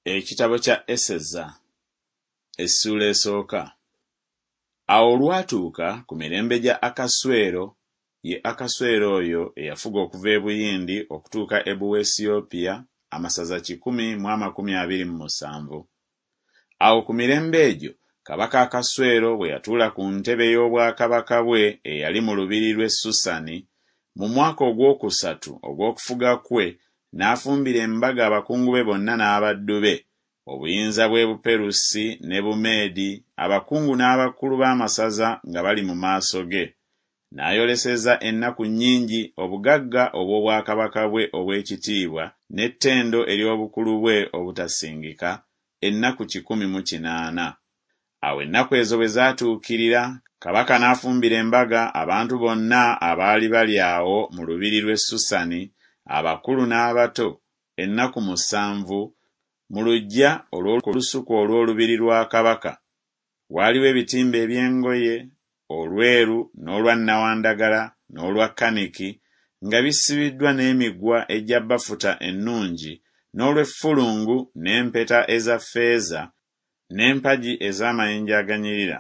Ekitabo kya Eseza Essuula esooka. Awo olwatuuka ku mirembe gya Akaswero, ye Akaswero oyo eyafuga okuva e Buyindi okutuuka e Buwesiyopya, amasaza 127. Awo ku mirembe egyo kabaka Akaswero bwe yatuula ku ntebe ey'obwakabaka bwe eyali mu lubiri lw'e Susani, mu mwaka ogwokusatu ogw'okufuga kwe, n'afumbira embaga abakungu be bonna n'abaddu be, obuyinza bw'e Buperusi ne Bumeedi, abakungu n'abakulu b'amasaza nga bali mu maaso ge. N'ayoleseza ennaku nnyingi obugagga obw'obwakabaka bwe obw'ekitiibwa n'ettendo ery'obukulu bwe obutasingika, ennaku 180. Awo ennaku ezo bwe zaatuukirira, kabaka n'afumbira embaga abantu bonna abaali bali awo mu lubiri lw'e Susani, abakulu n'abato, ennaku musanvu, mu luggya olw'olusuku olw'olubiri lwa kabaka. Waaliwo ebitimba eby'engoye, olweru n'olwa nnawandagala n'olwa kaniki, nga bisibiddwa n'emigwa egya bafuta ennungi, n'olw'effulungu n'empeta eza ffeeza n'empagi ez'amayinja aganyirira.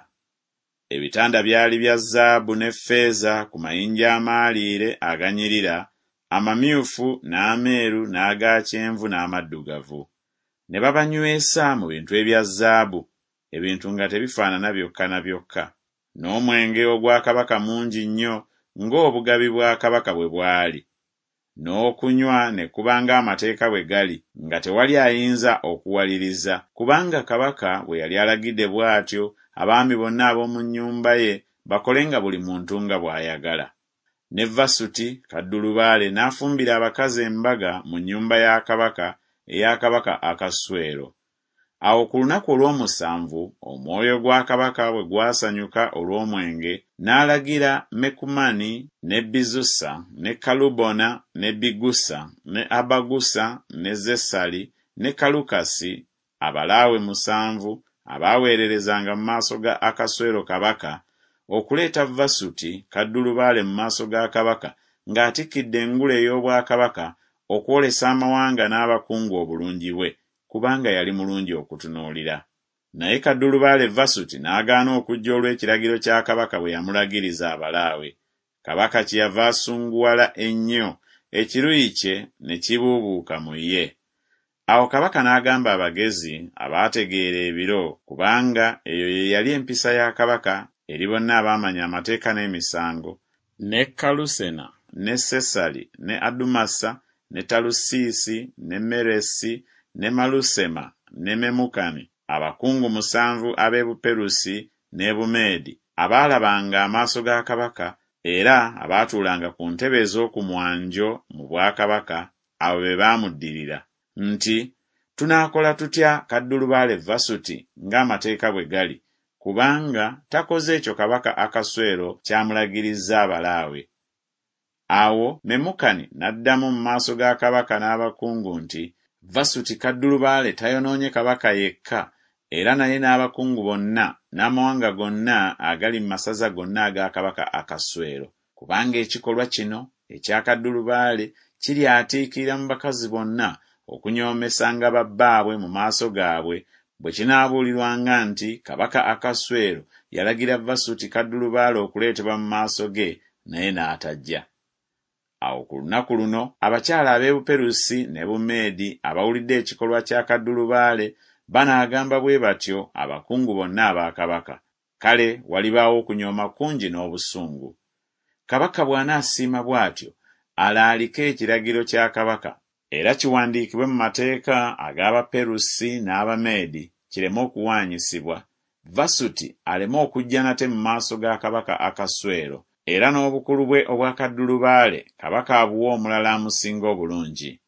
Ebitanda byali bya zaabu ne ffeeza ku mayinja amaaliire aganyirira, amamyufu n'ameeru n'aga kyenvu n'amaddugavu. Ne babanywesa mu bintu ebya zaabu, ebintu nga tebifaanana byokka na byokka. N'omwenge ogwa kabaka mungi nnyo ng'obugabi bwa kabaka bwe bwali. N'okunywa ne kuba ng'amateeka bwe gali, nga tewali ayinza okuwaliriza, kubanga kabaka bwe yali alagidde bw'atyo abaami bonna ab'omu nnyumba ye bakolenga buli muntu nga bw'ayagala. Ne Vasuti kaddulubaale n'afumbira abakazi embaga mu nnyumba ya kabaka eya kabaka Akaswero. Awo ku lunaku olw'omusanvu omwoyo gwa kabaka bwe gwasanyuka olw'omwenge, n'alagira Mekumani ne Bizusa ne Kalubona ne Bigusa ne Abagusa ne Zesali ne Kalukasi, abalaawe musanvu abaaweererezanga mu maaso ga Akaswero kabaka, okuleeta Vasuti kaddulubaale mu maaso ga kabaka ng'atikkidde engule ey'obwakabaka okwolesa amawanga n'abakungu obulungi bwe, kubanga yali mulungi okutunuulira. Naye kaddulubaale Vasuti n'agaana okujja olw'ekiragiro kya kabaka bwe yamulagiriza abalaawe. Kabaka kyeyava asunguwala ennyo, ekiruyi kye ne kibuubuuka mu ye. Awo kabaka n'agamba abagezi abaategeera ebiro, kubanga eyo ye yali empisa ya kabaka eri bonna abaamanya amateeka n'emisango, ne Kalusena ne Sesali ne Adumasa ne Talusiisi ne Meresi ne Malusema ne Memukani, abakungu musanvu ab'e Buperusi n'e Bumeedi, abaalabanga amaaso ga kabaka era abaatuulanga ku ntebe ez'oku mwanjo mu bwakabaka, abo be baamuddirira, nti Tunaakola tutya kaddulubaale Vasuti ng'amateeka bwe gali, kubanga takoze ekyo kabaka Akaswero ky'amulagirizza abalaawe? Awo Memukani n'addamu mu maaso ga kabaka n'abakungu nti Vasuti kaddulubaale tayonoonye kabaka yekka, era naye n'abakungu bonna n'amawanga gonna agali mu masaza gonna aga kabaka Akaswero. Kubanga ekikolwa kino ekya kaddulubaale kiryatiikirira mu bakazi bonna okunyoomesanga babbaabwe mu maaso gaabwe, bwe kinaabuulirwanga nti kabaka Akaswero yalagira Vasuti kaddulubaale okuleetebwa mu maaso ge, naye n'atajja. Awo ku lunaku luno abakyala ab'e Buperusi ne Bumeedi abawulidde ekikolwa kya kaddulubaale banaagamba bwe batyo abakungu bonna aba kabaka, kale walibaawo okunyooma kungi n'obusungu. Kabaka bw'anaasiima bw'atyo, alaalike ekiragiro kya kabaka, era kiwandiikibwe mu mateeka ag'Abaperusi n'Abameedi kireme okuwaanyisibwa, Vasuti aleme okujja nate mu maaso ga kabaka Akaswero, era n'obukulu bwe obwa kaddulubaale kabaka abuwe omulala amusinga obulungi.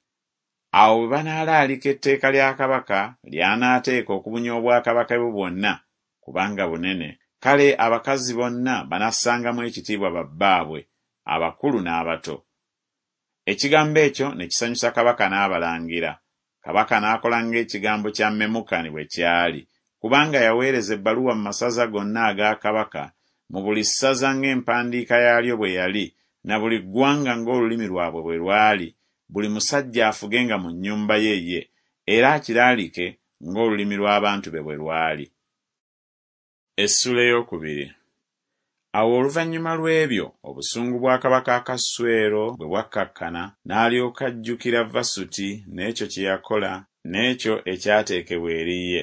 Awo bwe banaalaalika etteeka lya kabaka ly'anaateeka okubunya obwakabaka bwe bwonna, kubanga bunene, kale abakazi bonna banassangamu ekitiibwa babbaabwe, abakulu n'abato. Ekigambo ekyo ne kisanyusa kabaka n'abalangira. Kabaka n'akola ng'ekigambo kya Memukani bwe kyali, kubanga yaweereza ebbaluwa mu masaza gonna aga kabaka, mu buli ssaza ng'empandiika yaalyo bwe yali, na buli ggwanga ng'olulimi lwabwe bwe lwali, buli musajja afugenga mu nnyumba ye ye, era akiraalike ng'olulimi lw'abantu be bwe lwali. Essula ey'okubiri. Awo oluvannyuma lw'ebyo obusungu bwa kabaka Akaswero bwe bwakkakkana, n'alyoka ajjukira Vasuti n'ekyo kye yakola n'ekyo ekyateekebwa eri ye.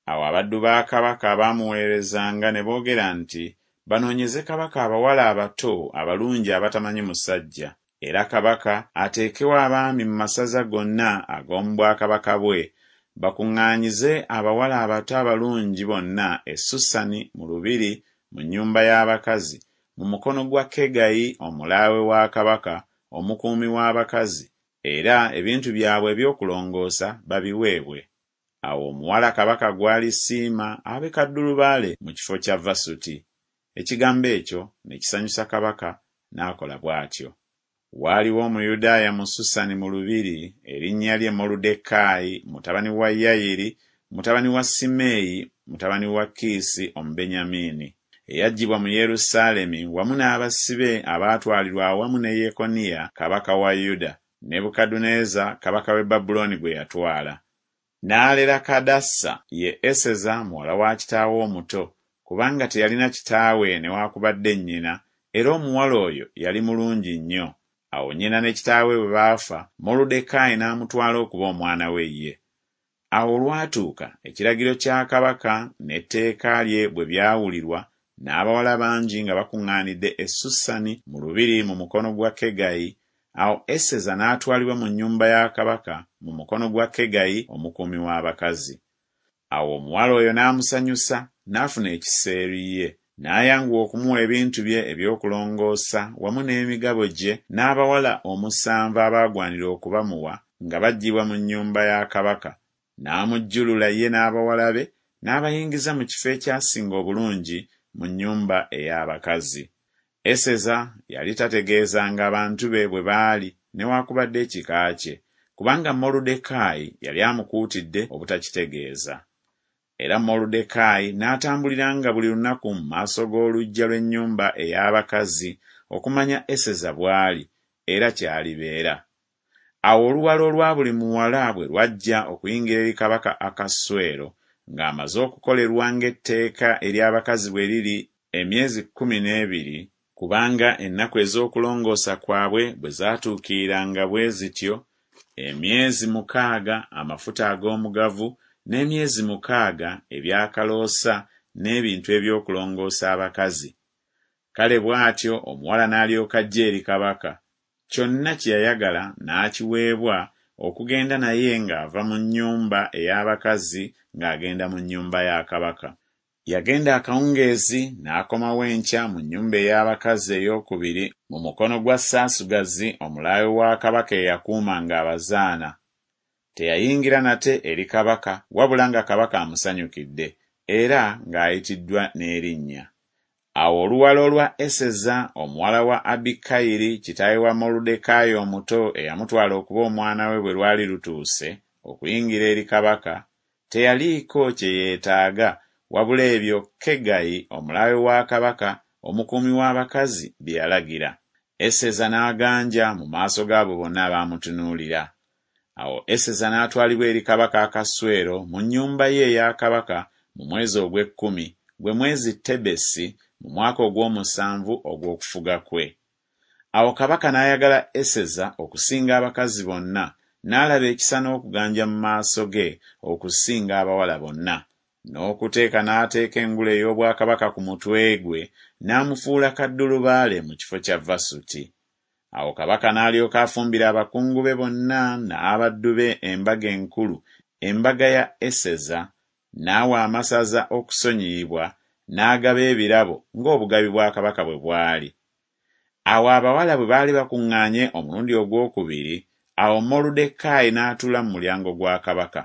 Awo abaddu ba kabaka abaamuweerezanga ne boogera nti Banoonyeze kabaka abawala abato abalungi abatamanyi musajja, era kabaka ateekewo abaami mu masaza gonna ag'omu bwakabaka bwe, bakuŋŋaanyize abawala abato abalungi bonna e Susani mu lubiri mu nnyumba y'abakazi, mu mukono gwa Kegayi omulaawe wa kabaka, omukuumi w'abakazi, era ebintu byabwe eby'okulongoosa babiweebwe. Awo omuwala kabaka gw'alisiima abe kaddulubaale mu kifo kya Vasuti. Ekigambo ekyo ne kisanyusa kabaka, n'akola bw'atyo. Waaliwo Omuyudaaya mu Susani mu lubiri, erinnya lye Moluddekaayi, mutabani wa Yayiri, mutabani wa Simeeyi, mutabani wa Kiisi Omubenyamini, eyaggyibwa mu Yerusaalemi wamu n'abasibe abaatwalirwa awamu ne Yekoniya kabaka wa Yuda, Nebukadduneeza kabaka w'e Babulooni gwe yatwala. N'alera Kadassa, ye Eseza muwala wa kitaawe omuto, kubanga teyalina kitaawe newaakubadde nnyina, era omuwala oyo yali mulungi nnyo. Awo nnyina ne kitaawe bwe baafa, Moluddekaayi n'amutwala okuba omwana we ye. Awo olwatuuka ekiragiro kya kabaka n'etteeka lye bwe byawulirwa, n'abawala bangi nga bakuŋŋaanidde e Susani mu lubiri mu mukono gwa Kegayi, awo Eseza n'atwalibwa mu nnyumba ya kabaka mu mukono gwa Kegayi omukuumi w'abakazi. Awo omuwala oyo n'amusanyusa, n'afuna ekisa eri ye. N'ayanguwa okumuwa ebintu bye eby'okulongoosa wamu n'emigabo gye n'abawala omusanvu abaagwanira okubamuwa nga baggyibwa mu nnyumba ya kabaka. N'amujjulula ye n'abawala be, n'abayingiza mu kifo ekyasinga obulungi mu nnyumba ey'abakazi. Eseza yali tategeezanga bantu be bwe baali newaakubadde ekika kye, kubanga Moluddekaayi yali amukuutidde obutakitegeeza. Era Moluddekaayi n'atambuliranga buli lunaku mu maaso g'oluggya lw'ennyumba ey'abakazi okumanya Eseza bw'ali, era ky'alibeera. Awo oluwalo olwa buli muwala bwe lwajja okuyingira eri kabaka Akaswero, ng'amaze okukolerwa ng'etteeka ery'abakazi bwe liri emyezi 12, kubanga ennaku ez'okulongoosa kwabwe bwe zaatuukiriranga bwe zityo, emyezi mukaaga amafuta ag'omugavu, n'emyezi mukaaga eby'akaloosa n'ebintu eby'okulongoosa abakazi. Kale bw'atyo omuwala n'alyoka ajja eri kabaka, kyonna kye yayagala n'akiweebwa okugenda naye ng'ava mu nnyumba ey'abakazi ng'agenda mu nnyumba ya kabaka. Yagenda akawungeezi n'akomawo enkya mu nnyumba ey'abakazi ey'okubiri mu mukono gwa Saasugazi omulaawe wa kabaka eyakuumanga abazaana. Teyayingira nate eri kabaka wabula nga kabaka amusanyukidde era ng'ayitiddwa n'erinnya. Awo oluwalo lwa Eseza omuwala wa Abikayiri kitaawe wa Moluddekaayi omuto eyamutwala okuba omwana we bwe lwali lutuuse okuyingira eri kabaka, teyaliiko kye yeetaaga wabula ebyo Kegayi omulaawe wa kabaka omukuumi w'abakazi bye yalagira. Eseza n'aganja mu maaso g'abo bonna abaamutunuulira. Awo Eseza n'atwalibwa eri kabaka Akaswero mu nnyumba ye eya kabaka mu mwezi ogw'ekkumi, gwe mwezi Tebesi, mu mwaka ogw'omusanvu ogw'okufuga kwe. Awo kabaka n'ayagala Eseza okusinga abakazi bonna, n'alaba ekisa n'okuganja mu maaso ge okusinga abawala bonna. N'okuteeka n'ateeka engule ey'obwakabaka ku mutwe gwe, n'amufuula kaddulubaale mu kifo kya Vasuti. Awo kabaka n'alyoka afumbira abakungu be bonna n'abaddu be embaga enkulu, embaga ya Eseza, n'awa amasaza okusonyiyibwa, n'agaba ebirabo ng'obugabi bwa kabaka bwe bwali. Awo abawala bwe baali bakuŋŋaanye omulundi ogw'okubiri, awo Moluddekaayi n'atuula mu mulyango gwa kabaka.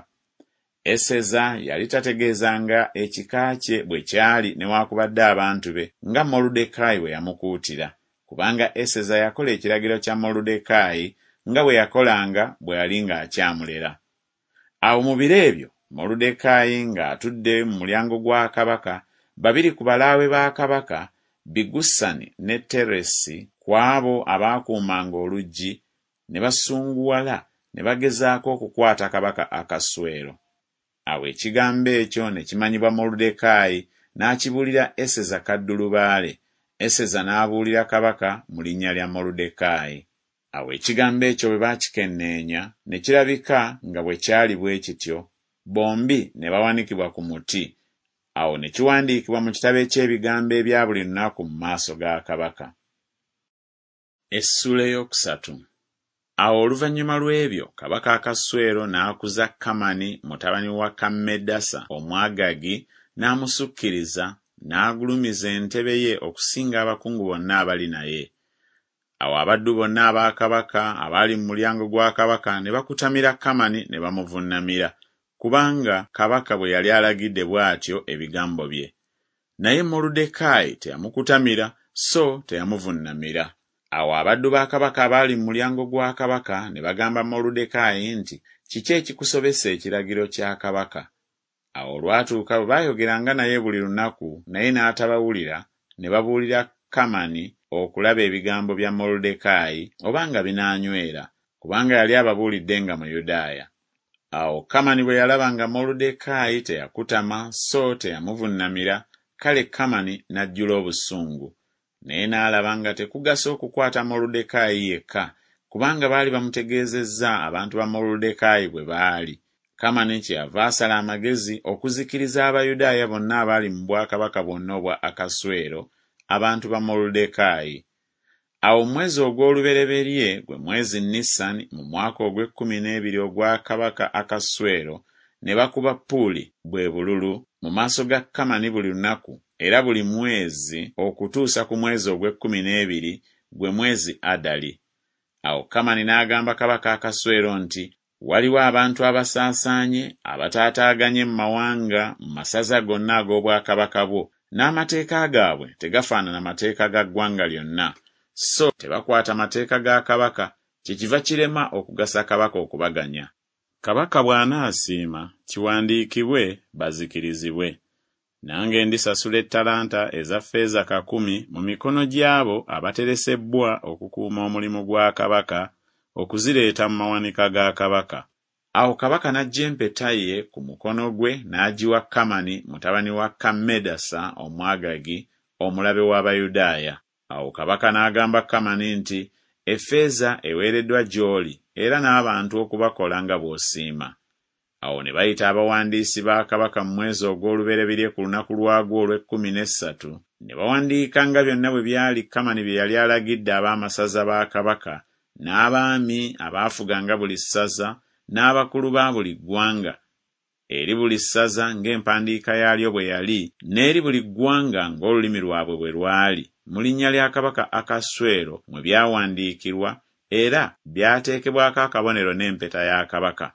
Eseza yali tategeezanga ekika kye bwe kyali newaakubadde abantu be, nga Moluddekaayi bwe yamukuutira, kubanga Eseza yakola ekiragiro kya Moluddekaayi nga bwe yakolanga bwe yali ng'akyamulera. Awo mu biro ebyo Moluddekaayi ng'atudde mu mulyango gwa kabaka, babiri ku balaawe ba kabaka, Bigusani ne Teresi, ku abo abaakuumanga oluggi, ne basunguwala ne bagezaako okukwata kabaka Akaswero. Awo ekigambo ekyo ne kimanyibwa Moluddekaayi, n'akibuulira Eseza kaddulubaale, Eseza n'abuulira kabaka mu linnya lya Moluddekaayi. Awo ekigambo ekyo bwe baakikenneenya, ne kirabika nga bwe kyali bwe kityo, bombi ne bawanikibwa ku muti, awo ne kiwandiikibwa mu kitabo eky'ebigambo ebya buli lunaku mu maaso ga kabaka. Essuula ey'okusatu. Awo oluvannyuma lw'ebyo kabaka Akaswero n'akuza Kamani mutabani wa Kammedasa Omwagagi n'amusukkiriza, n'agulumiza entebe ye okusinga abakungu bonna abali naye. Awo abaddu bonna aba kabaka abaali mu mulyango gwa kabaka ne bakutamira Kamani ne bamuvunnamira, kubanga kabaka bwe yali alagidde bw'atyo ebigambo bye. Naye Moluddekaayi teyamukutamira so teyamuvunnamira. Awo abaddu ba kabaka abaali mu mulyango gwa kabaka ne bagamba Moluddekaayi nti, Kiki ekikusobesa ekiragiro kya kabaka? Awo olwatuuka bwe baayogeranga naye buli lunaku naye n'atabawulira, ne babuulira Kamani okulaba ebigambo bya Moluddekaayi oba nga binaanywera, kubanga yali ababuulidde nga Muyudaaya. Awo Kamani bwe yalaba nga Moluddekaayi teyakutama so teyamuvunnamira, kale Kamani n'ajjula obusungu. Naye n'alaba nga tekugasa okukwata Moluddekaayi yekka, kubanga baali bamutegeezezza abantu ba Moluddekaayi bwe baali. Kamani kyeyava asala amagezi okuzikiriza Abayudaaya bonna abaali mu bwakabaka bwonna obwa Akaswero, abantu ba Moluddekaayi. Awo mu mwezi ogw'olubereberye, gwe mwezi Nisani, mu mwaka ogw'ekkumi n'ebiri ogwa kabaka Akaswero, ne bakuba Puli, bwe bululu, mu maaso ga Kamani buli lunaku era buli mwezi okutuusa ku mwezi ogw'ekkumi n'ebiri, gwe mwezi Adali. Awo Kamani n'agamba kabaka Akaswero nti, Waliwo abantu abasaasaanye, abataataaganye mu mawanga mu masaza gonna ag'obwakabaka bwo, n'amateeka gaabwe tegafaanana mateeka ga ggwanga lyonna, so tebakwata mateeka ga kabaka, kyekiva kirema okugasa kabaka okubaganya. Kabaka bw'anaasiima, kiwandiikibwe, bazikirizibwe. Nange ndisasula ettalanta eza ffeeza kakumi mu mikono gy'abo abateresebbwa okukuuma omulimu gwa kabaka, okuzireeta mu mawanika ga kabaka. Awo kabaka n'aggya empeta ye ku mukono gwe n'agiwa Kamani mutabani wa Kammedasa Omwagagi, omulabe w'Abayudaaya. Awo kabaka n'agamba Kamani nti, Effeeza eweereddwa gy'oli era n'abantu okubakola nga bw'osiima. Awo ne bayita abawandiisi ba kabaka mu mwezi ogw'olubereberye ku lunaku lwagwo olw'ekkumi n'essatu, ne bawandiika nga byonna bwe byali Kamani bye yali alagidde ab'amasaza ba kabaka, n'abaami abaafuganga buli ssaza, n'abakulu ba buli ggwanga, eri buli ssaza ng'empandiika yaalyo bwe yali, n'eri buli ggwanga ng'olulimi lwabwe bwe lwali, mu linnya lya kabaka Akaswero mwe byawandiikirwa, era byateekebwako akabonero n'empeta ya kabaka.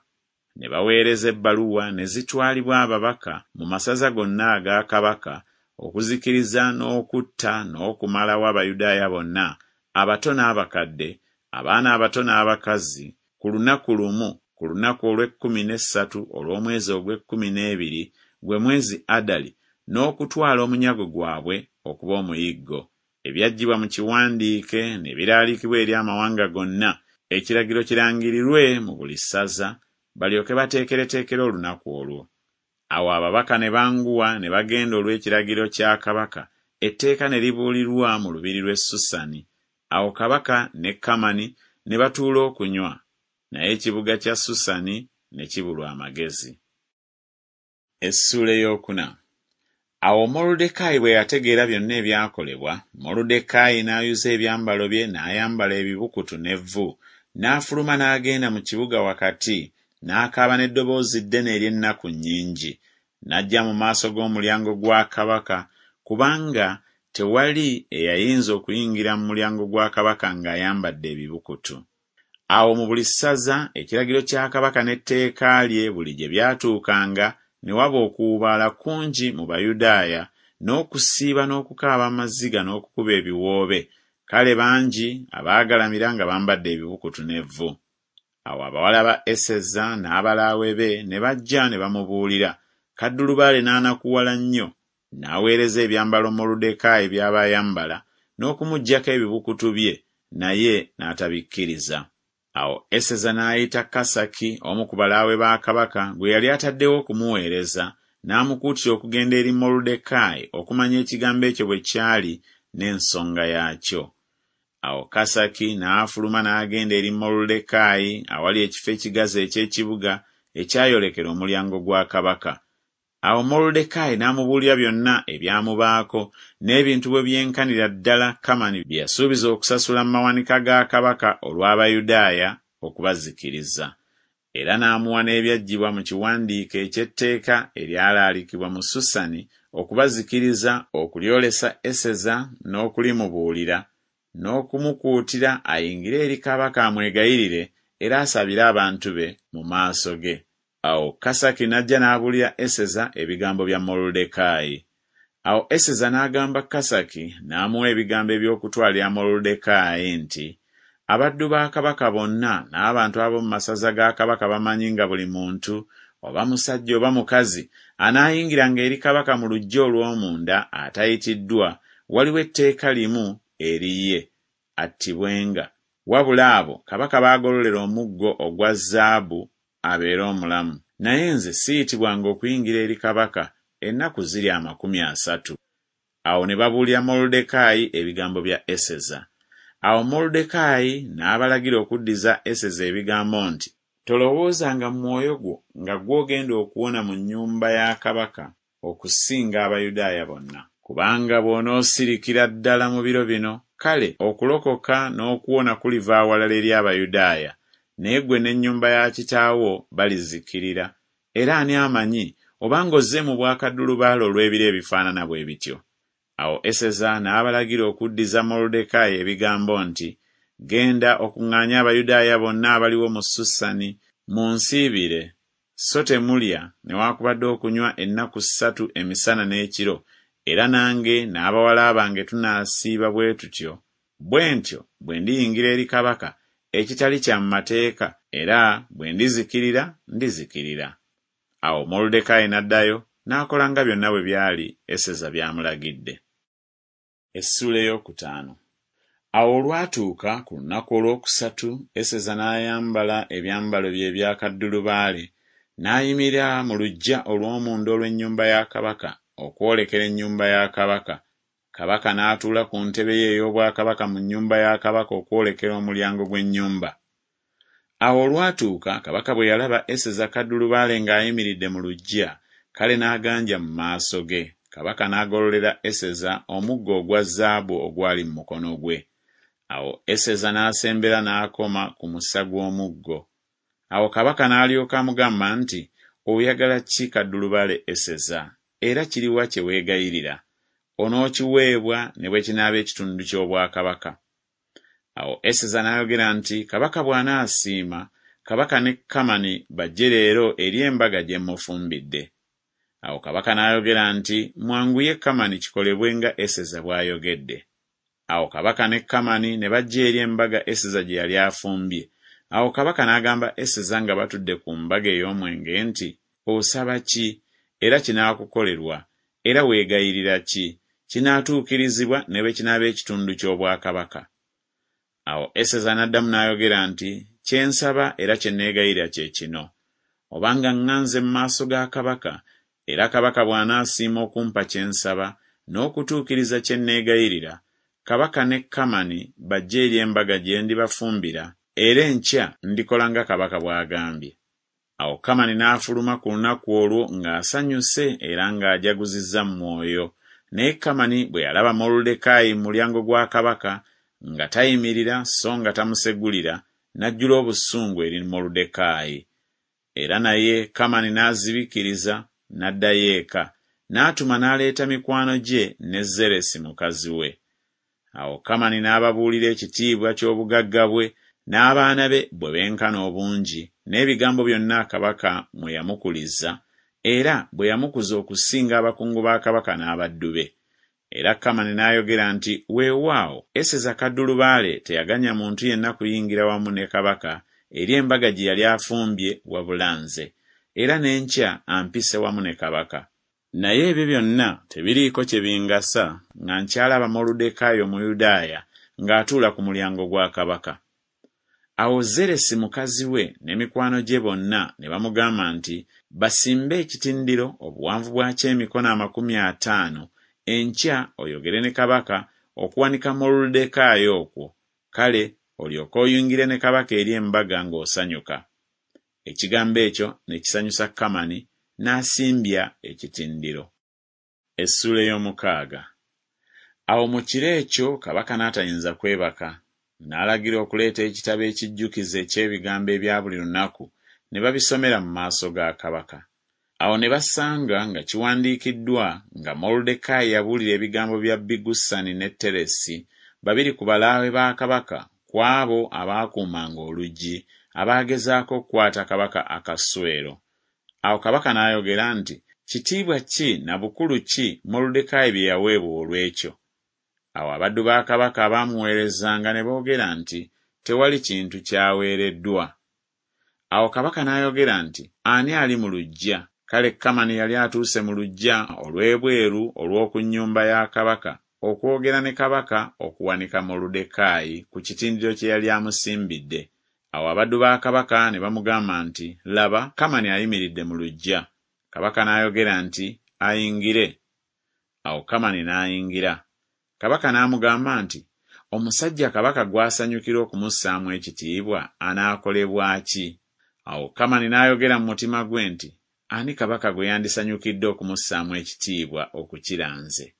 Ne baweereza ebbaluwa ne zitwalibwa ababaka mu masaza gonna aga kabaka okuzikiriza n'okutta n'okumalawo Abayudaaya bonna, abato n'abakadde, abaana abato n'abakazi, ku lunaku lumu, ku lunaku olw'ekkumi n'essatu olw'omwezi ogw'ekkumi n'ebiri, gwe mwezi Adali, n'okutwala omunyago gwabwe okuba omuyiggo. Ebyaggyibwa mu kiwandiike ne biraalikibwa eri amawanga gonna, ekiragiro kirangirirwe mu buli ssaza, balyoke bateekereteekere olunaku olwo. Awo ababaka ne banguwa ne bagenda olw'ekiragiro kya kabaka, etteeka ne libuulirwa mu lubiri lw'e Susani. Awo kabaka ne Kamani ne batuula okunywa, naye ekibuga kya Susani ne kibulwa amagezi. Essuula ey'okuna. Awo Moluddekaayi bwe yategeera byonna ebyakolebwa, Moluddekaayi n'ayuza ebyambalo bye n'ayambala ebibukutu n'evvu, n'afuluma n'agenda mu kibuga wakati, n'akaaba n'eddoboozi ddene ery'ennaku nnyingi, n'ajja mu maaso g'omulyango gwa kabaka, kubanga tewali eyayinza okuyingira mu mulyango gwa kabaka ng'ayambadde ebibukutu. Awo mu buli ssaza ekiragiro kya kabaka n'etteeka lye buli gye byatuukanga, ne waba okuwuubaala kungi mu Bayudaaya, n'okusiiba n'okukaaba amaziga n'okukuba ebiwoobe, kale bangi abaagalamira nga bambadde ebibukutu n'evvu. Awo abawala ba Eseza n'abalaawe be ne bajja ne bamubuulira, kaddulubaale n'anakuwala nnyo, n'aweereza ebyambalo Moluddekaayi by'aba ayambala, n'okumuggyako ebibukutu bye, naye n'atabikkiriza. Awo Eseza n'ayita Kasaki, omu ku balaawe ba kabaka, gwe yali ataddewo okumuweereza, n'amukuutira okugenda eri Moluddekaayi okumanya ekigambo ekyo bwe kyali n'ensonga yaakyo. Awo Kasaki n'afuluma n'agenda eri Moluddekaayi awali ekifo ekigazi eky'ekibuga ekyayolekera omulyango gwa kabaka. Awo Moluddekaayi n'amubuulira byonna ebyamubaako, n'ebintu bwe byenkanira ddala Kamani bye yasuubiza okusasula mu mawanika ga kabaka olw'Abayudaaya okubazikiriza. Era n'amuwa n'ebyaggyibwa mu kiwandiike eky'etteeka eryalaalikibwa mu Susani okubazikiriza okulyolesa Eseza n'okulimubuulira, n'okumukuutira ayingire eri kabaka amwegayirire era asabire abantu be mu maaso ge. Awo Kasaki n'ajja n'abuulira Eseza ebigambo bya Moluddekaayi. Awo Eseza n'agamba Kasaki n'amuwa ebigambo eby'okutwalira Moluddekaayi nti, Abaddu ba kabaka bonna n'abantu ab'omu masaza ga kabaka bamanyi nga buli muntu, oba musajja oba mukazi, anaayingiranga eri kabaka mu luggya olw'omunda atayitiddwa, waliwo etteeka limu eri ye, attibwenga. Wabula abo kabaka b'agololera omuggo ogwa zaabu abeere omulamu. Naye nze siyitibwanga okuyingira eri kabaka ennaku ziri 30. Awo ne babuulira Moluddekaayi ebigambo bya Eseza. Awo Moluddekaayi n'abalagira okuddiza Eseza ebigambo nti, Tolowoozanga mu mwoyo gwo nga ggwe ogenda okuwona mu nnyumba ya kabaka okusinga Abayudaaya bonna. Kubanga bw'onoosirikira ddala mu biro bino, kale okulokoka n'okuwona kuliva awalala eri Abayudaaya, naye ggwe n'ennyumba ya kitaawo balizikirira, era ani amanyi obanga ozze mu bwakaddulubaale olw'ebiro ebifaanana bwe bityo? Awo Eseza n'abalagira okuddiza Moluddekaayi ebigambo nti, Genda okuŋŋaanye Abayudaaya bonna abaliwo mu Susani, munsiibire, so temulya newaakubadde okunywa ennaku ssatu emisana n'ekiro, era nange n'abawala bange tunaasiiba bwe tutyo, bwe ntyo bwe ndiyingira eri kabaka, ekitali kya mu mateeka, era bwe ndizikirira, ndizikirira. Awo Moluddekaayi n'addayo, n'akola nga byonna bwe byali Eseza by'amulagidde. Essuula ey'okutaano. Awo olwatuuka ku lunaku olwokusatu Eseza n'ayambala ebyambalo bye ebya kaddulubaale, n'ayimirira mu luggya olw'omunda olw'ennyumba ya kabaka okwolekera ennyumba ya kabaka, kabaka n'atuula ku ntebe ye ey'obwakabaka mu nnyumba ya kabaka okwolekera omulyango gw'ennyumba. Awo olwatuuka kabaka bwe yalaba Eseza kaddulubaale ng'ayimiridde mu luggya, kale n'aganja mu maaso ge. Kabaka n'agololera Eseza omuggo ogwa zaabu ogwali mu mukono gwe. Awo Eseza n'asembera n'akoma ku musa gw'omuggo. Awo kabaka n'alyoka amugamba nti, Oyagala ki kaddulubaale Eseza? Era kiriwa kye weegayirira? Onookiweebwa ne bwe kinaaba ekitundu ky'obwakabaka. Awo Eseza n'ayogera nti, Kabaka bw'anaasiima, kabaka ne Kamani bajje leero eri embaga gye mmufumbidde. Awo kabaka n'ayogera nti, Mwanguye Kamani kikolebwe nga Eseza bw'ayogedde. Awo kabaka ne Kamani ne bajja eri embaga Eseza gye yali afumbye. Awo kabaka n'agamba Eseza nga batudde ku mbaga ey'omwenge nti, Osaba ki? Era kinaakukolerwa. Era weegayirira ki? Kinaatuukirizibwa ne bwe kinaaba ekitundu ky'obwakabaka. Awo Eseza n'addamu n'ayogera nti, Kye nsaba era kye neegayirira kye kino, Obanga ŋŋanze mu maaso ga kabaka, era kabaka bw'anaasiima okumpa kye nsaba, n'okutuukiriza kye neegayirira, kabaka ne Kamani bajje eri embaga gye ndibafumbira, era enkya ndikola nga kabaka bw'agambye. Awo Kamani n'afuluma ku lunaku olwo ng'asanyuse era ng'ajaguzizza mu mwoyo. Naye Kamani bwe yalaba Moluddekaayi mu mulyango gwa kabaka, nga tayimirira so nga tamusegulira, n'ajjula obusungu eri Moluddekaayi. Era naye Kamani n'azibikiriza, n'addayo eka, n'atuma n'aleeta mikwano gye ne Zeresi mukazi we. Awo Kamani n'ababuulira ekitiibwa ky'obugagga bwe, n'abaana be bwe benkana obungi, n'ebigambo byonna kabaka mwe yamukuliza, era bwe yamukuza okusinga abakungu ba kabaka n'abaddu be. Era Kamani n'ayogera nti, Weewaawo, Eseza kaddulubaale teyaganya muntu yenna kuyingira wamu ne kabaka eri embaga gye yali afumbye wabula nze, era n'enkya ampise wamu ne kabaka. Naye ebyo byonna tebiriiko kye bingasa nga nkyalaba Moluddekaayi Omuyudaaya ng'atuula ku mulyango gwa kabaka. Awo Zeresi mukazi we ne mikwano gye bonna ne bamugamba nti basimbe ekitindiro obuwanvu bwakyo emikono 50, enkya oyogere ne kabaka okuwanika Moluddekaayi okwo, kale olyoke oyingire ne kabaka eri embaga ng'osanyuka. Ekigambo ekyo ne kisanyusa Kamani, n'asimbya ekitindiro. Essuula ey'omukaaga. Awo mu kiro ekyo kabaka n'atayinza kwebaka, n'alagira okuleeta ekitabo ekijjukize eky'ebigambo ebya buli lunaku, ne babisomera mu maaso ga kabaka. Awo ne basanga nga kiwandiikiddwa nga Moluddekaayi yabuulira ebigambo bya Bigusani ne Teresi, babiri ku balaawe ba kabaka, ku abo abaakuumanga oluggi, abaagezaako okukwata kabaka Akaswero. Awo kabaka n'ayogera nti Kitiibwa ki na bukulu ki Moluddekaayi bye yaweebwa olw'ekyo? Awo abaddu ba kabaka abaamuweerezanga ne boogera nti Tewali kintu ky'aweereddwa. Awo kabaka n'ayogera nti Ani ali mu luggya? Kale Kamani yali atuuse mu luggya olw'ebweru olw'oku nnyumba ya kabaka okwogera ne kabaka okuwanika Moluddekaayi ku kitindiro kye yali amusimbidde. Awo abaddu ba kabaka ne bamugamba nti Laba, Kamani ayimiridde mu luggya. Kabaka n'ayogera nti Ayingire. Awo Kamani n'ayingira. Kabaka n'amugamba nti Omusajja kabaka gw'asanyukira okumussaamu ekitiibwa anaakolebwa ki? Awo Kamani n'ayogera mu mutima gwe nti Ani kabaka gwe yandisanyukidde okumussaamu ekitiibwa okukira nze?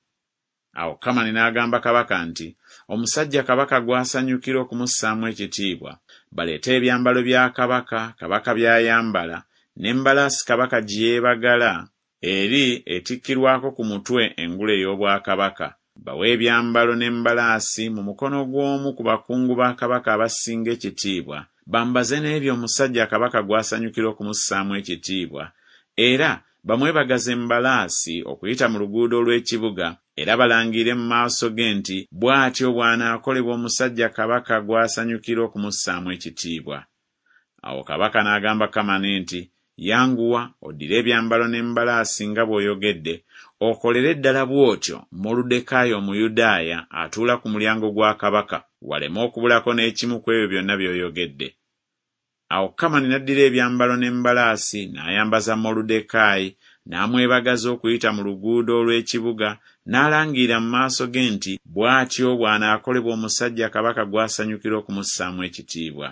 Awo Kamani n'agamba kabaka nti Omusajja kabaka gw'asanyukira okumussaamu ekitiibwa, baleete ebyambalo bya kabaka, kabaka by'ayambala, n'embalaasi kabaka gye yeebagala, eri etikkirwako ku mutwe engule ey'obwakabaka, bawe ebyambalo n'embalaasi mu mukono gw'omu ku bakungu ba kabaka abasinga ekitiibwa, bambaze n'ebyo omusajja kabaka gw'asanyukira okumussaamu ekitiibwa, era bamwebagaze embalaasi okuyita mu luguudo olw'ekibuga, era balangirire mu maaso ge nti bw'atyo bw'anaakolebwa omusajja kabaka gw'asanyukira okumussaamu ekitiibwa. Awo kabaka n'agamba Kamani nti Yanguwa oddire ebyambalo n'embalaasi nga bw'oyogedde, okolere ddala bw'otyo Moluddekaayi Omuyudaaya atuula ku mulyango gwa kabaka, waleme okubulako n'ekimu ku ebyo byonna by'oyogedde. Awo Kamani n'addira ebyambalo n'embalaasi n'ayambaza Moluddekaayi, n'amwebagaza okuyita mu luguudo olw'ekibuga, n'alangirira mu maaso ge nti bw'atyo bw'anaakolebwa omusajja kabaka gw'asanyukira okumussaamu ekitiibwa.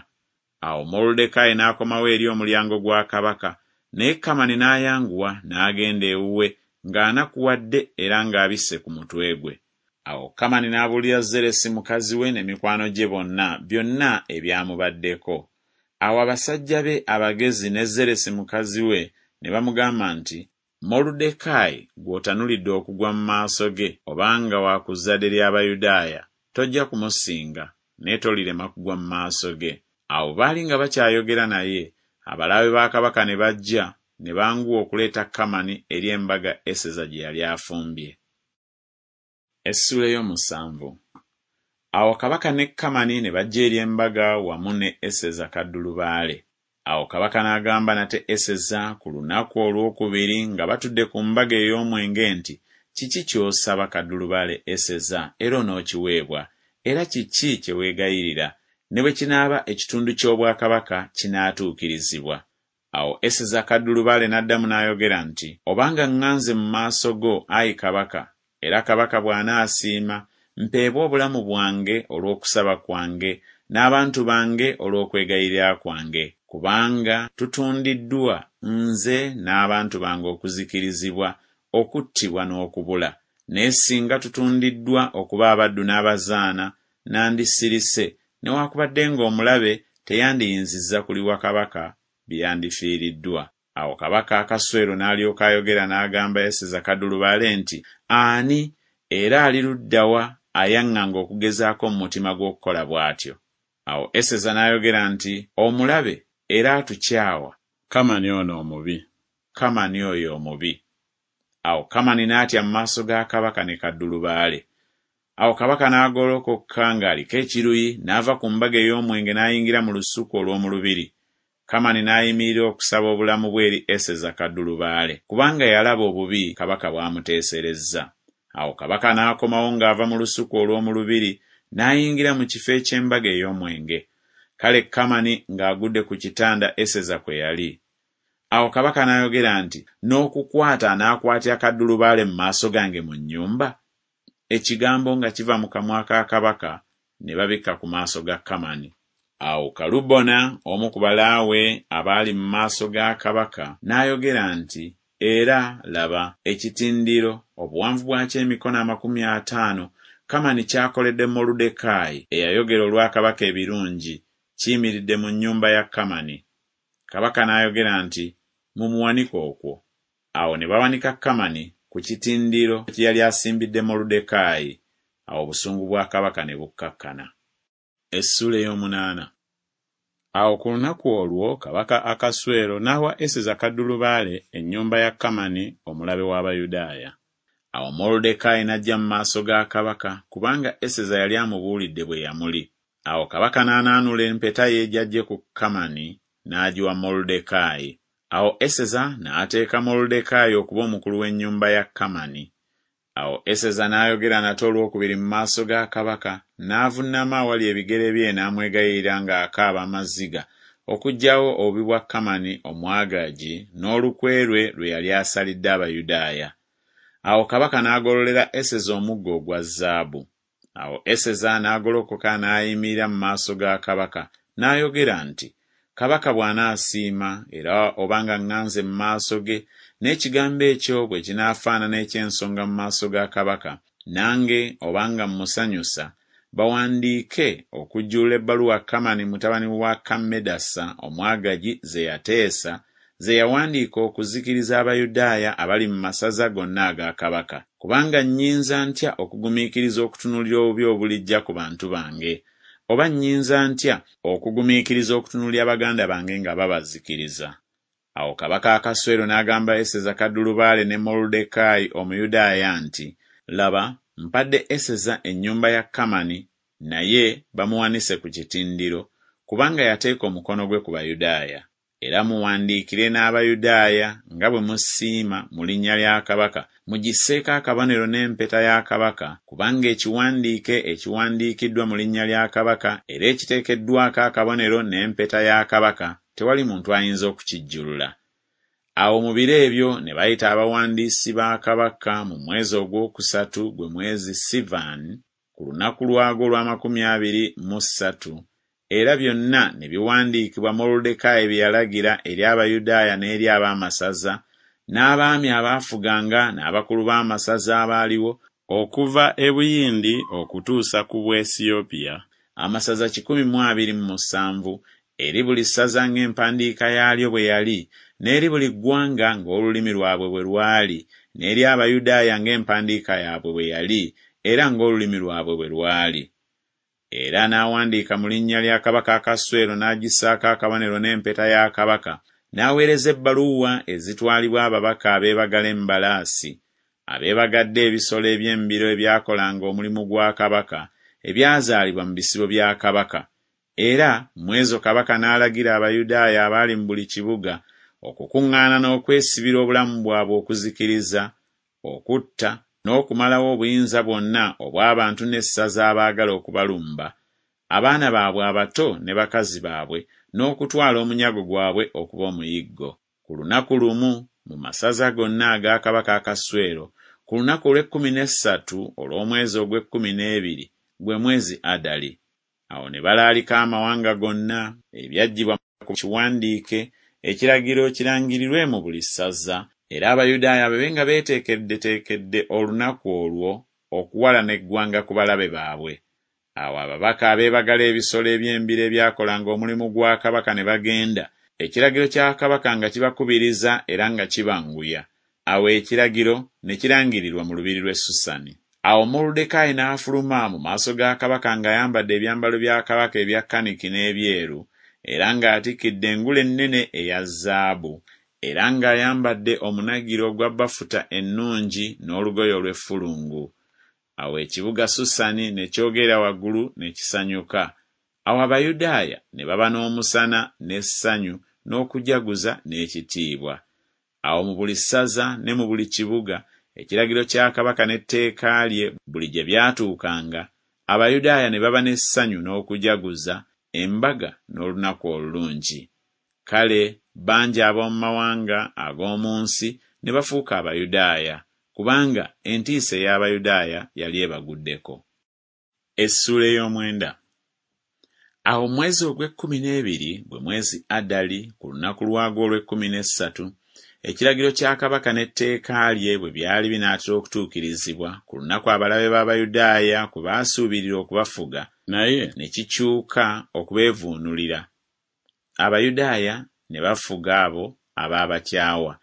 Awo Moluddekaayi n'akomawo eri omulyango gwa kabaka, naye Kamani n'ayanguwa n'agenda ewuwe ng'anakuwadde era ng'abisse ku mutwe gwe. Awo Kamani n'abuulira Zeresi mukazi we ne mikwano gye bonna byonna ebyamubaddeko. Awo abasajja be abagezi ne Zeresi mukazi we ne bamugamba nti Moluddekaayi gw'otanulidde okugwa mu maaso ge, obanga wa ku zzadde ly'Abayudaaya, tojja kumusinga, naye tolirema kugwa mu maaso ge. Awo baali nga bakyayogera naye, abalaawe ba kabaka ne bajja, ne banguwa okuleeta Kamani eri embaga Eseza gye yali afumbye. Essuula ey'omusanvu. Awo kabaka ne Kamani ne bajja eri embaga wamu ne Eseza kaddulubaale. Awo kabaka n'agamba nate Eseza ku lunaku olw'okubiri nga batudde ku mbaga ey'omwenge nti Kiki ky'osaba kaddulubaale Eseza, era onookiweebwa, era kiki kye weegayirira, ne bwe kinaaba ekitundu ky'obwakabaka kinaatuukirizibwa. Awo Eseza kaddulubaale n'addamu n'ayogera nti Obanga ŋŋanze mu maaso go, ayi kabaka, era kabaka bw'anaasiima, mpeebwe obulamu bwange olw'okusaba kwange, n'abantu bange olw'okwegayirira kwange, kubanga tutundiddwa, nze n'abantu bange okuzikirizibwa, okuttibwa n'okubula. Naye singa tutundiddwa okuba abaddu n'abazaana, nandisirise, newakubadde ng'omulabe teyandiyinzizza kuliwa kabaka bye yandifiiriddwa. Awo kabaka Akaswero n'alyoka ayogera n'agamba Eseza kaddulubaale nti Ani, era ali ludda wa ayaŋŋanga okugezaako mu mutima gwe okukola bw'atyo? Awo Eseza n'ayogera nti Omulabe, era atukyawa, Kamani ono omubi, Kamani oyo omubi. Awo Kamani n'atya mu maaso ga kabaka ne kaddulubaale. Awo kabaka n'agolokoka ng'aliko ekiruyi, n'ava ku mbaga ey'omwenge n'ayingira mu lusuku olw'omu lubiri. Kamani n'ayimirira okusaba obulamu bwe eri Eseza kaddulubaale, kubanga yalaba obubi kabaka bw'amuteeserezza. Awo kabaka n'akomawo ng'ava mu lusuku olw'omu lubiri, n'ayingira mu kifo eky'embaga ey'omwenge. Kale Kamani ng'agudde ku kitanda Eseza kwe yali. Awo kabaka n'ayogera nti, N'okukwata anaakwatira kaddulubaale mu maaso gange mu nnyumba? Ekigambo nga kiva mu kamwa ka kabaka, ne babikka ku maaso ga Kamani. Awo Kalubona, omu ku balaawe abaali mu maaso ga kabaka, n'ayogera nti, Era, laba, ekitindiro, obuwanvu bwakyo emikono 50, Kamani ky'akoledde Moluddekaayi, eyayogera olwa kabaka ebirungi, kiyimiridde mu nnyumba ya Kamani. Kabaka n'ayogera nti, Mumuwanike okwo. Awo ne bawanika Kamani ku kitindiro kye yali asimbidde Moluddekaayi. Awo obusungu bwa kabaka ne bukkakkana. Essuula ey'omunaana. Awo ku lunaku olwo kabaka Akaswero n'awa Eseza kaddulubaale ennyumba ya Kamani omulabe w'Abayudaaya. Awo Moluddekaayi n'ajja mu maaso ga kabaka, kubanga Eseza yali amubuulidde bwe yamuli. Awo kabaka n'anaanula empeta ye gy'aggye ku Kamani, n'agiwa Moluddekaayi. Awo Eseza n'ateeka Moluddekaayi okuba omukulu w'ennyumba ya Kamani. Awo Eseza n'ayogera nate olwokubiri mu maaso ga kabaka, n'avunnama awali ebigere bye n'amwegayirira ng'akaaba amaziga okuggyawo obubi bwa Kamani Omwagaagi n'olukwe lwe lwe yali asalidde Abayudaaya. Awo kabaka n'agololera Eseza omuggo ogwa zaabu. Awo Eseza n'agolokoka n'ayimirira mu maaso ga kabaka, n'ayogera nti, Kabaka bw'anaasiima, era obanga ŋŋanze mu maaso ge, n'ekigambo ekyo bwe kinaafaanana eky'ensonga mu maaso ga kabaka, nange obanga mmusanyusa, bawandiike okujjulula ebbaluwa Kamani mutabani wa Kammedasa Omwagagi ze yateesa, ze yawandiika okuzikiriza Abayudaaya abali mu masaza gonna aga kabaka. Kubanga nnyinza ntya okugumiikiriza okutunuulira obubi obulijja ku bantu bange? Oba nnyinza ntya okugumiikiriza okutunuulira baganda bange nga babazikiriza? Awo kabaka Akaswero n'agamba Eseza kaddulubaale ne Moluddekaayi Omuyudaaya nti, Laba, mpadde Eseza ennyumba ya Kamani, naye bamuwanise ku kitindiro, kubanga yateeka omukono gwe ku Bayudaaya. Era muwandiikire n'Abayudaaya nga bwe musiima mu linnya lya kabaka, mugisseeko akabonero n'empeta ya kabaka, kubanga ekiwandiike ekiwandiikiddwa mu linnya lya kabaka era ekiteekeddwako akabonero n'empeta ya kabaka, tewali muntu ayinza okukijjulula. Awo mu biro ebyo ne bayita abawandiisi ba kabaka mu mwezi ogwokusatu, gwe mwezi Sivani, ku lunaku lwagwo olw'amakumi abiri mu ssatu, era byonna ne biwandiikibwa Moluddekaayi bye yalagira eri Abayudaaya n'eri ab'amasaza, n'abaami abaafuganga n'abakulu b'amasaza abaaliwo, okuva e Buyindi okutuusa ku Bwesiyopiya, amasaza 127, eri buli ssaza ng'empandiika yaalyo bwe yali, n'eri buli ggwanga ng'olulimi lwabwe bwe lwali, n'eri Abayudaaya ng'empandiika yaabwe bwe yali era ng'olulimi lwabwe bwe lwali. Era n'awandiika mu linnya lya kabaka Akaswero n'agissaako akabonero n'empeta ya kabaka, n'aweereza ebbaluwa ezitwalibwa ababaka abeebagala embalaasi, abeebagadde ebisolo eby'embiro ebyakolanga omulimu gwa kabaka, ebyazaalibwa mu bisibo bya kabaka. Era mu ezo kabaka n'alagira Abayudaaya abaali mu buli kibuga okukuŋŋaana n'okwesibira obulamu bwabwe okuzikiriza, okutta, n'okumalawo obuyinza bwonna obw'abantu n'essaza abaagala okubalumba, abaana baabwe abato ne bakazi baabwe, n'okutwala omunyago gwabwe okuba omuyiggo. Ku lunaku lumu mu masaza gonna aga kabaka Akaswero, ku lunaku olw'ekkumi n'essatu olw'omwezi ogw'ekkumi n'ebiri, gwe mwezi Adali. Awo ne balaalika amawanga gonna, ebyaggyibwa ku kiwandiike, ekiragiro kirangirirwe mu buli ssaza, era Abayudaaya babe nga beeteekeddeteekedde olunaku olwo okuwalana eggwanga ku balabe baabwe. Awo ababaka abeebagala ebisolo eby'embiro ebyakolanga omulimu gwa kabaka ne bagenda, ekiragiro kya kabaka nga kibakubiriza era nga kibanguya. Awo ekiragiro ne kirangirirwa mu lubiri lw'e Susani. Awo Moluddekaayi n'afuluma mu maaso ga kabaka ng'ayambadde ebyambalo bya kabaka ebya kaniki n'ebyeru, era ng'atikkidde engule ennene eya zaabu, era ng'ayambadde omunagiro ogwa bafuta ennungi n'olugoye olw'effulungu. Awo ekibuga Susani ne kyogerera waggulu ne kisanyuka. Awo Abayudaaya ne baba n'omusana n'essanyu n'okujaguza n'ekitiibwa. Awo mu buli ssaza ne mu buli kibuga, ekiragiro kya kabaka n'etteeka lye buli gye byatuukanga, Abayudaaya ne baba n'essanyu n'okujaguza, embaga n'olunaku olulungi. Kale bangi ab'omu mawanga ag'omu nsi ne bafuuka Abayudaaya, kubanga entiisa ey'Abayudaaya yali ebaguddeko. Essuula ey'omwenda. Awo mu mwezi ogw'ekkumi n'ebiri, gwe mwezi Adali, ku lunaku lwagwo olw'ekkumi n'essatu, ekiragiro kya kabaka n'etteeka lye bwe byali binaatera okutuukirizibwa, ku lunaku abalabe b'Abayudaaya kwe baasuubirira okubafuga, naye ne kikyuka okubeevuunulira, Abayudaaya ne bafuga abo abaabakyawa.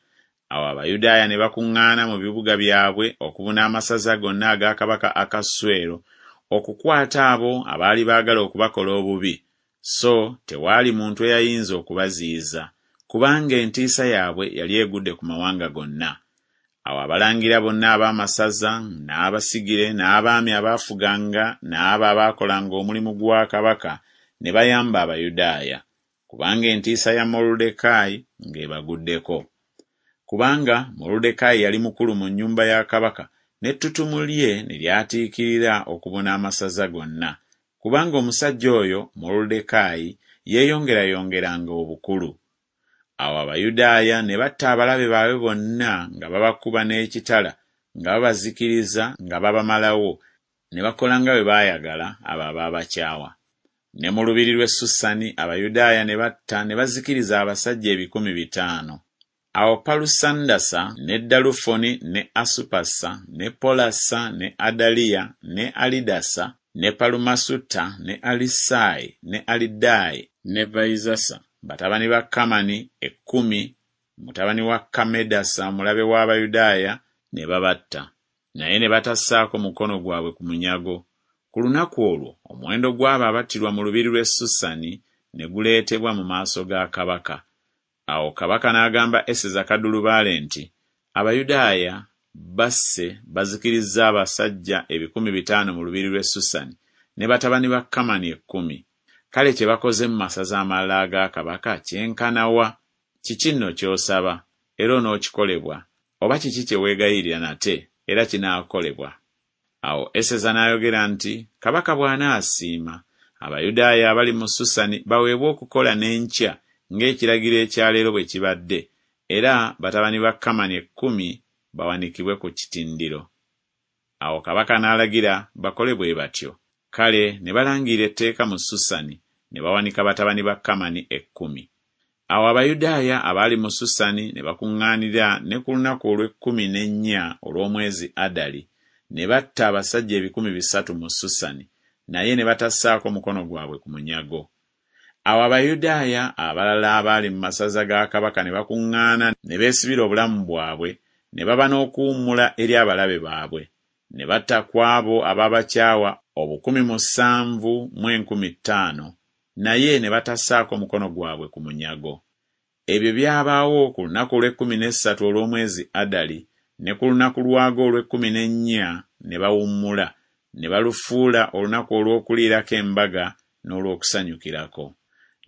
Awo Abayudaaya ne bakuŋŋaana mu bibuga byabwe okubuna amasaza gonna aga kabaka Akaswero, okukwata abo abaali baagala okubakola obubi, so tewaali muntu eyayinza okubaziyiza, kubanga entiisa yaabwe yali egudde ku mawanga gonna. Awo abalangira bonna ab'amasaza, n'abasigire, n'abaami abaafuganga, n'abo abaakolanga omulimu gwa kabaka ne bayamba Abayudaaya, kubanga entiisa ya Moluddekaayi ng'ebaguddeko. Kubanga Moluddekaayi yali mukulu mu nnyumba ya kabaka, n'ettutumu lye ne lyatiikirira okubuna amasaza gonna, kubanga omusajja oyo Moluddekaayi yeeyongerayongeranga obukulu. Awo Abayudaaya ne batta abalabe baabwe bonna nga babakuba n'ekitala, nga babazikiriza nga babamalawo, ne bakola nga bwe baayagala abo abaabakyawa. Ne mu lubiri lw'e Susani Abayudaaya ne batta ne bazikiriza abasajja 500. Awo Palusandasa ne Dalufoni ne Asupasa ne Polasa ne Adaliya ne Alidasa ne Palumasuta ne Alisaayi ne Alidaayi ne Vayizasa, batabani ba Kamani ekkumi, mutabani wa Kammedasa omulabe w'Abayudaaya, ne babatta, naye ne batassaako mukono gwabwe ku munyago. Ku lunaku olwo omuwendo gw'abo abattirwa mu lubiri lw'e Susani ne guleetebwa mu maaso ga kabaka. Awo kabaka n'agamba Eseza kaddulubaale nti, Abayudaaya basse bazikirizza abasajja 500 mu lubiri lw'e Susani ne batabani ba Kamani ekkumi. Kale kye bakoze mu masaza amalala aga kabaka kyenkana wa? Kiki nno ky'osaba, era onookikolebwa, oba kiki kye weegayirira nate, era kinaakolebwa? Awo Eseza n'ayogera nti, Kabaka bw'anaasiima, Abayudaaya abali mu Susani baweebwe okukola n'enkya ng'ekiragiro ekya leero bwe kibadde, era batabani ba Kamani ekkumi bawanikibwe ku kitindiro. Awo kabaka n'alagira bakole bwe batyo. Kale ne balangirira etteeka mu Susani, ne bawanika batabani ba Kamani ekkumi. Awo Abayudaaya abaali mu Susani ne bakuŋŋaanira ne ku lunaku olw'ekkumi n'ennya olw'omwezi Adali, ne batta abasajja 300 mu Susani, naye ne batassaako mukono gwabwe ku munyago. Awo Abayudaaya abalala abaali mu masaza ga kabaka ne bakuŋŋaana ne beesibira obulamu bwabwe, ne baba n'okuwummula eri abalabe baabwe. Ne batta ku abo abaabakyawa 7,500, naye ne batassaako mukono gwabwe ku munyago. Ebyo byabaawo ku lunaku olw'ekkumi n'essatu olw'omwezi Adali, ne ku lunaku lwagwo olw'ekkumi n'ennya ne bawummula, ne balufuula olunaku olw'okuliirako embaga n'olw'okusanyukirako.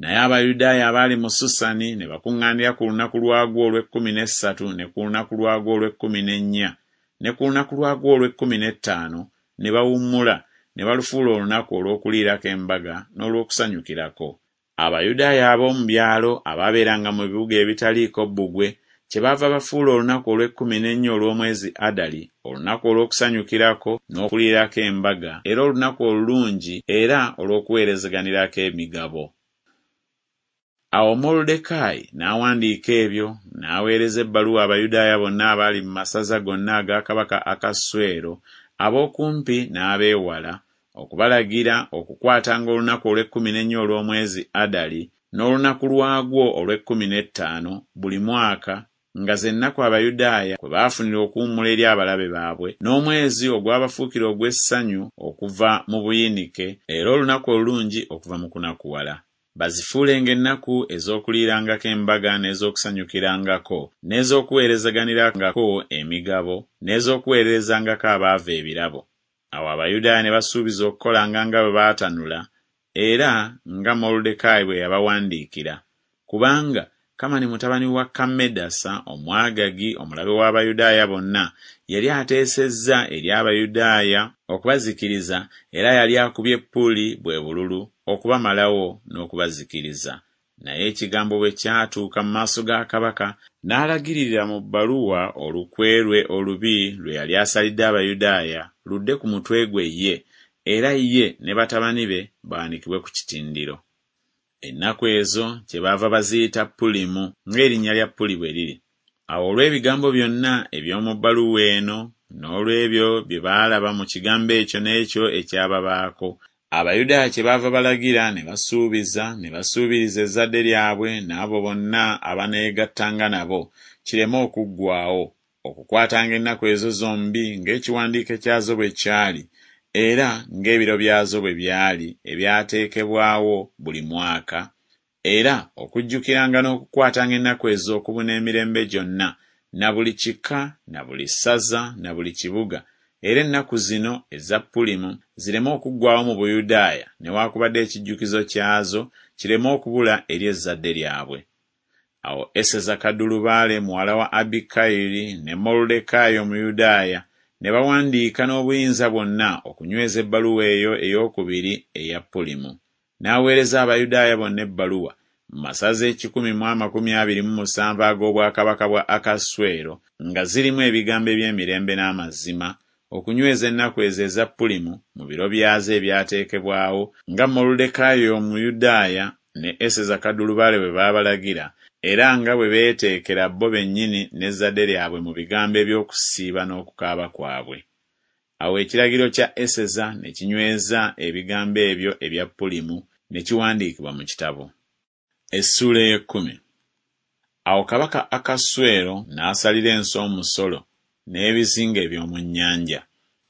Naye Abayudaaya abaali mu Susani ne bakuŋŋaanira ku lunaku lwagwo olw'ekkumi n'essatu ne ku lunaku lwagwo olw'ekkumi n'ennya ne ku lunaku lwagwo olw'ekkumi n'ettaano ne bawummula, ne balufuula olunaku olw'okuliirako embaga n'olw'okusanyukirako. Abayudaaya ab'omu byalo abaabeeranga mu bibuga ebitaliiko bbugwe kyebaava bafuula olunaku olw'ekkumi n'ennya olw'omwezi Adali olunaku olw'okusanyukirako n'okuliirako embaga, era olunaku olulungi era olw'okuweerezeganirako emigabo. Awo Moluddekaayi n'awandiika ebyo, n'aweereza ebbaluwa Abayudaaya bonna abaali mu masaza gonna aga kabaka Akaswero, ab'okumpi n'ab'ewala, okubalagira okukwatanga olunaku olw'ekkumi n'ennya olw'omwezi Adali n'olunaku lwagwo olw'ekkumi n'ettaano buli mwaka, nga ze nnaku Abayudaaya kwe baafunira okuwummula eri abalabe baabwe, n'omwezi ogwabafuukira ogw'essanyu okuva mu buyinike, era olunaku olulungi okuva mu kunakuwala. Bazifuulenga ennaku ez'okuliirangako embaga n'ez'okusanyukirangako, n'ez'okuweerezaganirangako emigabo, n'ez'okuweererezangako abaavu ebirabo. Awo Abayudaaya ne basuubiza okukolanga nga bwe baatanula, era nga Moluddekaayi bwe yabawandiikira, kubanga Kamani mutabani wa Kammedasa Omwagagi omulabe w'Abayudaaya bonna yali ateesezza eri Abayudaaya okubazikiriza, era yali akubye Puli, bwe bululu, okubamalawo n'okubazikiriza. Naye ekigambo bwe kyatuuka mu maaso ga kabaka, n'alagiririra mu bbaluwa olukwe lwe olubi lwe yali asalidde Abayudaaya ludde ku mutwe gwe ye, era ye ne batabani be bawanikibwe ku kitindiro. Ennaku ezo kyebaava baziyita Pulimu, ng'erinnya lya Puli bwe liri. Awo olw'ebigambo byonna eby'omu bbaluwa eno, n'olw'ebyo bye baalaba mu kigambo ekyo n'ekyo ekyababaako, Abayudaaya kyebaava balagira ne basuubiza ne basuubiriza ezzadde lyabwe n'abo bonna abaneegattanga nabo, kireme okuggwaawo, okukwatanga ennaku ezo zombi ng'ekiwandiike kyazo bwe kyali, era ng'ebiro byazo bwe byali ebyateekebwawo buli mwaka, era okujjukiranga n'okukwatanga ennaku ezo okubuna emirembe gyonna, na buli kika na buli ssaza na buli kibuga, era ennaku zino eza Pulimu zireme okuggwaawo mu Buyudaaya newakubadde ekijjukizo kyazo kireme okubula eri ezzadde lyabwe. Awo Eseza kaddulubaale muwala wa Abikayiri ne Moluddekaayi Omuyudaaya ne bawandiika n'obuyinza bwonna okunyweza ebbaluwa eyo ey'okubiri eya Pulimu. N'aweereza Abayudaaya bonna ebbaluwa mu masaza ekikumi mu 27 ag'obwakabaka bwa Akaswero nga zirimu ebigambo eby'emirembe n'amazima, okunyweza ennaku ezo eza Pulimu mu biro byazo ebyateekebwawo, nga Moluddekaayi Omuyudaaya ne Eseza kaddulubaale bwe baabalagira, era nga bwe beeteekera bo bennyini n'ezzadde lyabwe mu bigambo eby'okusiiba n'okukaaba kwabwe. Awo ekiragiro kya Eseza ne kinyweza ebigambo ebyo ebya Pulimu, ne kiwandiikibwa mu kitabo. Essuula ey'ekkumi. Awo kabaka Akaswero n'asalira ensi omusolo, n'ebizinga eby'omu nnyanja.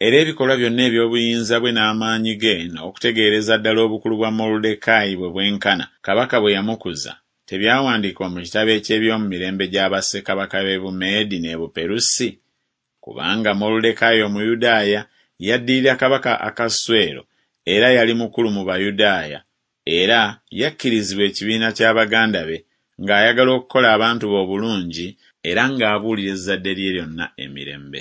Era ebikolwa byonna eby'obuyinza bwe n'amaanyi ge, n'okutegeereza ddala obukulu bwa Moluddekaayi bwe bwenkana, kabaka bwe yamukuza, tebyawandiikibwa mu kitabo eky'eby'omu mirembe gya bassekabaka b'e Bumeedi n'e Buperusi? Kubanga Moluddekaayi Omuyudaaya yaddirira kabaka Akaswero, era yali mukulu mu Bayudaaya, era yakkirizibwa ekibiina kya baganda be, ng'ayagala okukola abantu be obulungi, era ng'abuulira ezzadde lye lyonna emirembe.